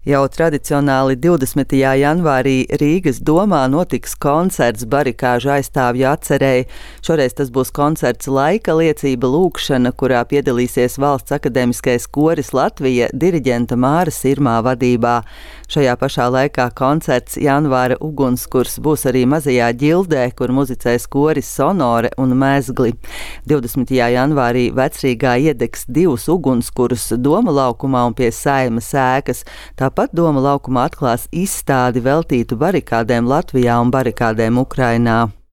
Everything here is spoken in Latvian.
Jau tradicionāli 20. janvārī Rīgas domā notiks koncerts barikāžu aizstāvju atcerēji. Šoreiz tas būs koncerts Laika liecība lūkšana, kurā piedalīsies Valsts akadēmiskais koris Latvija diriģenta Māra Sirmā vadībā. Šajā pašā laikā koncerts Janvāra ugunskurs būs arī Mazajā ģildē, kur muzicēs koris Sonore un Mezgli. 20. janvārī Vecrīgā iedegs 2 ugunskurus Doma laukumā un pie Saeimas ēkas. Tāpat Doma laukumā atklās izstādi veltītu barikādēm Latvijā un barikādēm Ukrainā.